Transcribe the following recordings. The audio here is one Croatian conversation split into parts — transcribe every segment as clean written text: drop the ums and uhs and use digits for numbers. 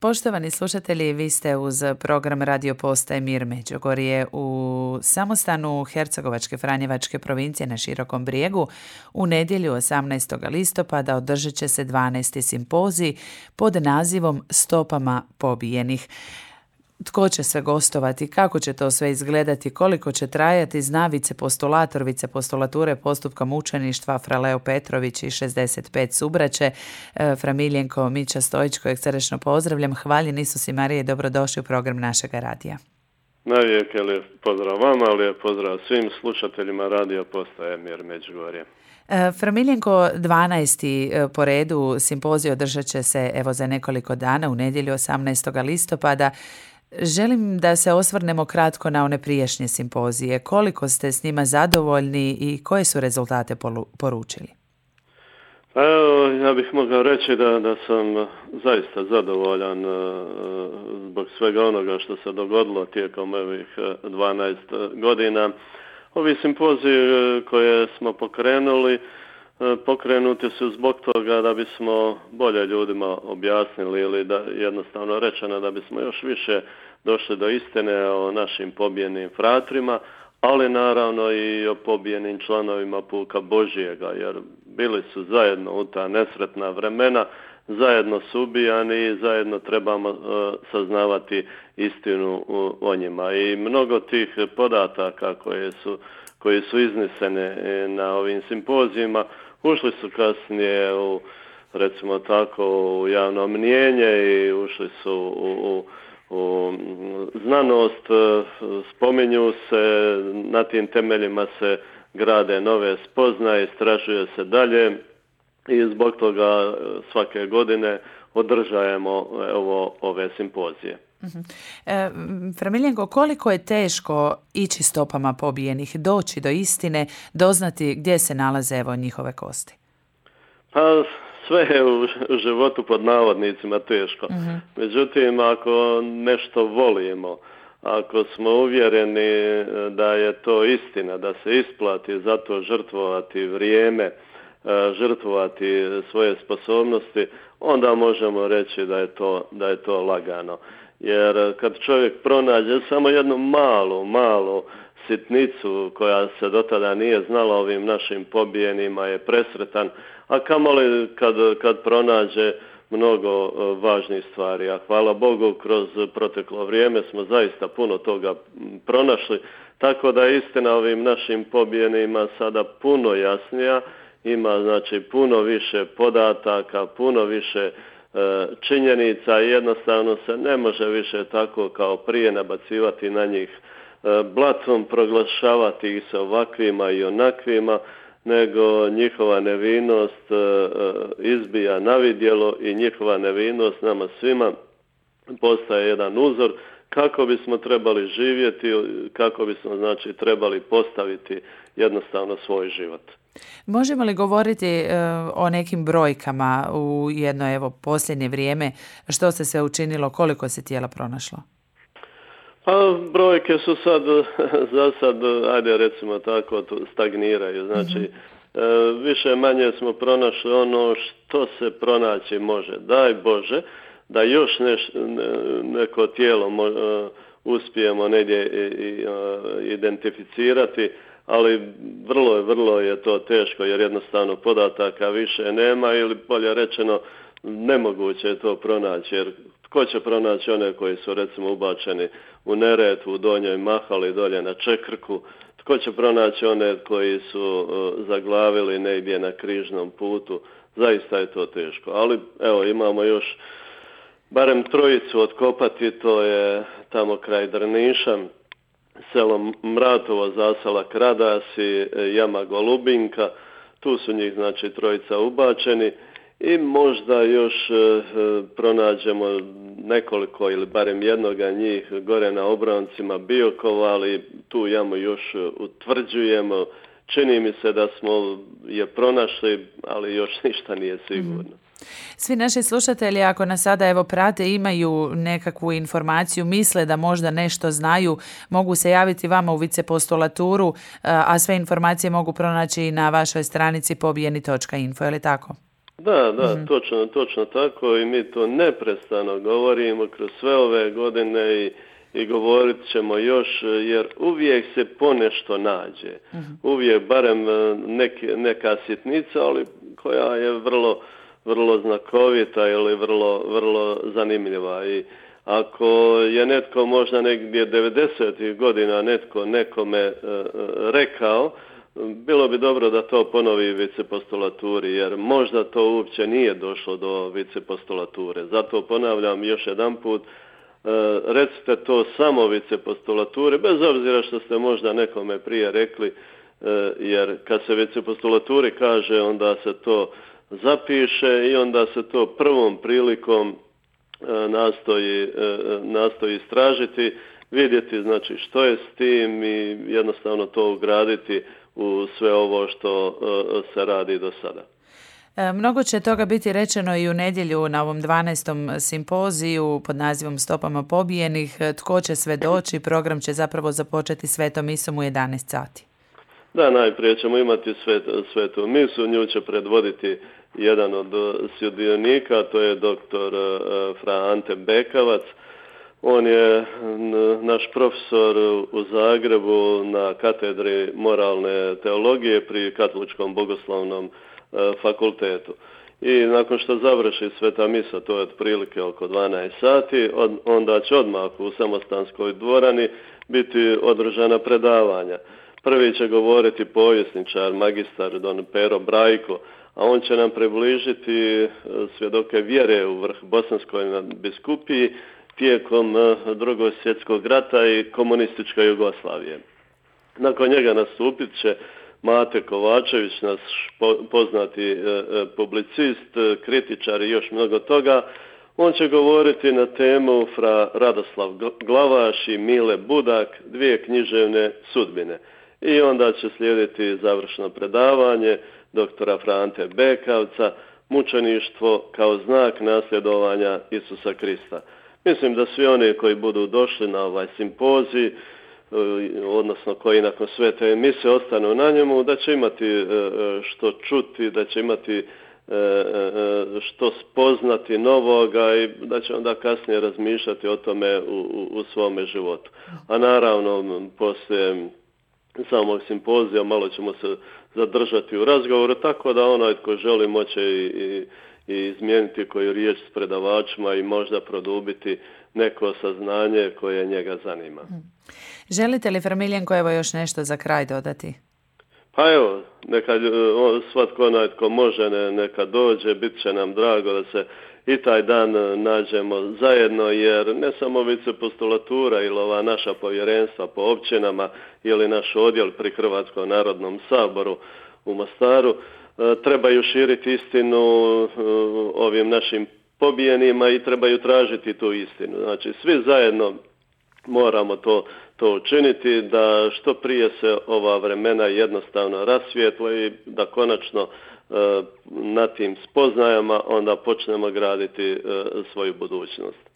Poštovani slušatelji, vi ste uz program Radio Postaje Mir Međugorje u samostanu Hercegovačke Franjevačke provincije na Širokom Brijegu. U nedjelju 18. listopada održat će se 12. simpozij pod nazivom Stopama pobijenih. Tko će sve gostovati, kako će to sve izgledati, koliko će trajati, zna vicepostulator vicepostulature postupka mučeništva Fra Leo Petrović i 65 subraće, Fra Miljenko Mića Stojić, kojeg srdečno pozdravljam. Hvaljen Isus i Marija i dobrodošli u program našega radija. Najvijek lijep pozdrav vama, lijep pozdrav svim slušateljima Radio Postaje Mir Međugorje. Fra Miljenko, 12. po redu simpozij održat će se evo za nekoliko dana u nedjelju 18. listopada. Želim da se osvrnemo kratko na one prijašnje simpozije. Koliko ste s njima zadovoljni i koje su rezultate poručili? Evo, ja bih mogao reći da sam zaista zadovoljan zbog svega onoga što se dogodilo tijekom ovih 12 godina. Ovi simpoziji koje smo pokrenuti su zbog toga da bismo bolje ljudima objasnili ili da jednostavno rečeno da bismo još više došli do istine o našim pobijenim fratrima, ali naravno i o pobijenim članovima puka Božijega, jer bili su zajedno u ta nesretna vremena, zajedno su ubijani i zajedno trebamo saznavati istinu o njima. I mnogo tih podataka koji su iznesene na ovim simpozijima ušli su kasnije u, recimo tako, u javno mnijenje i ušli su u znanost, spominju se, na tim temeljima se grade nove spoznaje, istražuje se dalje i zbog toga svake godine održajemo ove simpozije. Fra Miljenko, koliko je teško ići stopama pobijenih, doći do istine, doznati gdje se nalaze evo njihove kosti? Pa sve je u životu pod navodnicima teško. Međutim, ako nešto volimo, ako smo uvjereni da je to istina, da se isplati za to žrtvovati vrijeme, žrtvovati svoje sposobnosti, onda možemo reći da je to lagano. Jer kad čovjek pronađe samo jednu malu sitnicu koja se do tada nije znala ovim našim pobijenima je presretan, a kamoli kad pronađe mnogo važnih stvari. A hvala Bogu, kroz proteklo vrijeme smo zaista puno toga pronašli, tako da je istina ovim našim pobijenima sada puno jasnija, ima znači puno više podataka, puno više činjenica i jednostavno se ne može više tako kao prije nabacivati na njih blatom, proglašavati ih se ovakvima i onakvima, nego njihova nevinost izbija na vidjelo i njihova nevinost nama svima postaje jedan uzor kako bismo trebali živjeti, kako bismo znači trebali postaviti jednostavno svoj život. Možemo li govoriti o nekim brojkama u jedno posljednje vrijeme, što se sve učinilo, koliko se tijela pronašlo? Pa brojke su za sad, ajde recimo tako, stagniraju. Znači, više manje smo pronašli ono što se pronaći može. Daj Bože da još neko tijelo uspijemo negdje identificirati, ali vrlo je to teško jer jednostavno podataka više nema ili bolje rečeno nemoguće je to pronaći jer tko će pronaći one koji su recimo ubačeni u Neretvu, u Donjoj Mahali, dolje na Čekrku, tko će pronaći one koji su zaglavili negdje na križnom putu, zaista je to teško. Ali evo imamo još barem trojicu otkopati, to je tamo kraj Drniša, selo Mratovo, zasela Kradasi, jama Golubinka, tu su njih znači trojica ubačeni i možda još pronađemo nekoliko ili barem jednoga njih gore na obroncima Biokova, ali tu jamu još utvrđujemo. Čini mi se da smo je pronašli, ali još ništa nije sigurno. Svi naši slušatelji, ako nas sada prate, imaju nekakvu informaciju, misle da možda nešto znaju, mogu se javiti vama u vicepostulaturu, a sve informacije mogu pronaći i na vašoj stranici pobijeni.info, je li tako? Da, točno tako i mi to neprestano govorimo kroz sve ove godine i govorit ćemo još, jer uvijek se ponešto nađe. Uvijek barem neka sitnica, ali koja je vrlo znakovita ili vrlo zanimljiva. I ako je netko možda negdje 90. godina netko nekome rekao, bilo bi dobro da to ponovi vicepostulaturi, jer možda to uopće nije došlo do vicepostulature. Zato ponavljam još jedan put, recite to samo vicepostulaturi, bez obzira što ste možda nekome prije rekli, jer kad se vicepostulaturi kaže, onda se to zapiše i onda se to prvom prilikom nastoji istražiti, vidjeti znači što je s tim i jednostavno to ugraditi u sve ovo što se radi do sada. Mnogo će toga biti rečeno i u nedjelju na ovom 12. simpoziju pod nazivom Stopama pobijenih. Tko će sve doći? Program će zapravo započeti svetom misom u 11 sati. Da, najprije ćemo imati svetu misu, nju će predvoditi jedan od sudionika, to je doktor fra Ante Bekavac. On je naš profesor u Zagrebu na katedri moralne teologije pri Katoličkom bogoslovnom fakultetu. I nakon što završi sveta misa, to je otprilike oko 12 sati, onda će odmah u Samostanskoj dvorani biti održana predavanja. Prvi će govoriti povjesničar, magistar don Pero Brajko, a on će nam približiti svjedoke vjere u vrh Bosanskoj biskupiji tijekom Drugog svjetskog rata i komunističke Jugoslavije. Nakon njega nastupit će Mate Kovačević, naš poznati publicist, kritičar i još mnogo toga. On će govoriti na temu fra Radoslav Glavaš i Mile Budak, dvije književne sudbine. I onda će slijediti završno predavanje doktora Frante Bekavca, mučeništvo kao znak nasljedovanja Isusa Krista. Mislim da svi oni koji budu došli na ovaj simpozij, odnosno koji nakon svete mise ostanu na njemu, da će imati što čuti, da će imati što spoznati novoga i da će onda kasnije razmišljati o tome u svome životu. A naravno, poslije samog simpozija malo ćemo se zadržati u razgovoru, tako da onaj tko želi moće i izmijeniti koju riječ s predavačima i možda produbiti neko saznanje koje njega zanima. Želite li, Framiljenko, evo još nešto za kraj dodati? Pa evo, neka svatko onaj tko može neka dođe, bit će nam drago da se i taj dan nađemo zajedno, jer ne samo vicepostulatura ili ova naša povjerenstva po općinama ili naš odjel pri Hrvatskom narodnom saboru u Mostaru trebaju širiti istinu ovim našim pobijenima i trebaju tražiti tu istinu. Znači, svi zajedno moramo to učiniti, da što prije se ova vremena jednostavno rasvijetle i da konačno na tim spoznajama onda počnemo graditi svoju budućnost.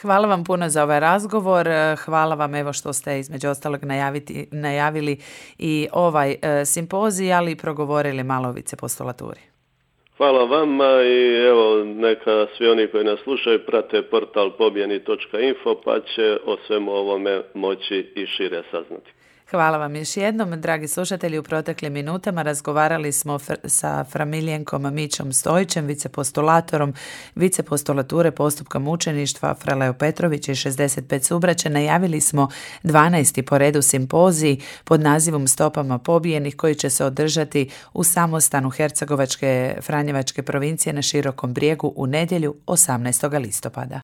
Hvala vam puno za ovaj razgovor. Hvala vam evo što ste između ostalog najavili i ovaj simpozij, ali i progovorili malo o vicepostulaturi. Hvala vama i evo neka svi oni koji nas slušaju prate portal pobjeni.info pa će o svemu ovome moći i šire saznati. Hvala vam još jednom, dragi slušatelji. U proteklim minutama razgovarali smo sa Framiljenkom Mićom Stojićem, vicepostulatorom vicepostulature postupka mučeništva fra Leo Petrović i 65 subraća. Najavili smo 12. po redu simpozij pod nazivom Stopama pobijenih koji će se održati u samostanu Hercegovačke Franjevačke provincije na Širokom Brijegu u nedjelju 18. listopada.